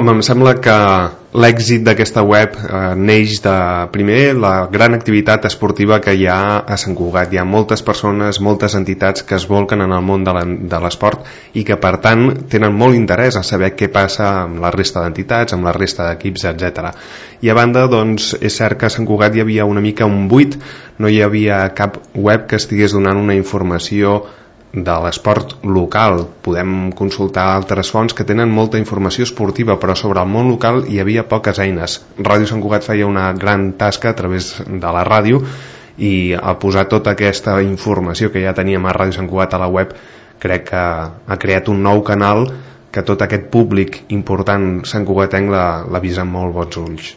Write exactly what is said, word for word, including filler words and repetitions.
Home, em sembla que l'èxit d'aquesta web eh, neix de, primer, la gran activitat esportiva que hi ha a Sant Cugat. Hi ha moltes persones, moltes entitats que es volquen en el món de l'esport i que, per tant, tenen molt interès a saber què passa amb la resta d'entitats, amb la resta d'equips, etcètera. I a banda, doncs, és cert que a Sant Cugat hi havia una mica un buit, no hi havia cap web que estigués donant una informació de l'esport local. Podem consultar altres fonts que tenen molta informació esportiva, però sobre el món local hi havia poques eines. Ràdio Sant Cugat feia una gran tasca a través de la ràdio i a posar tota aquesta informació que ja teníem a Ràdio Sant Cugat a la web, crec que ha creat un nou canal que tot aquest públic important santcugatenc l'ha vist amb molt bons ulls.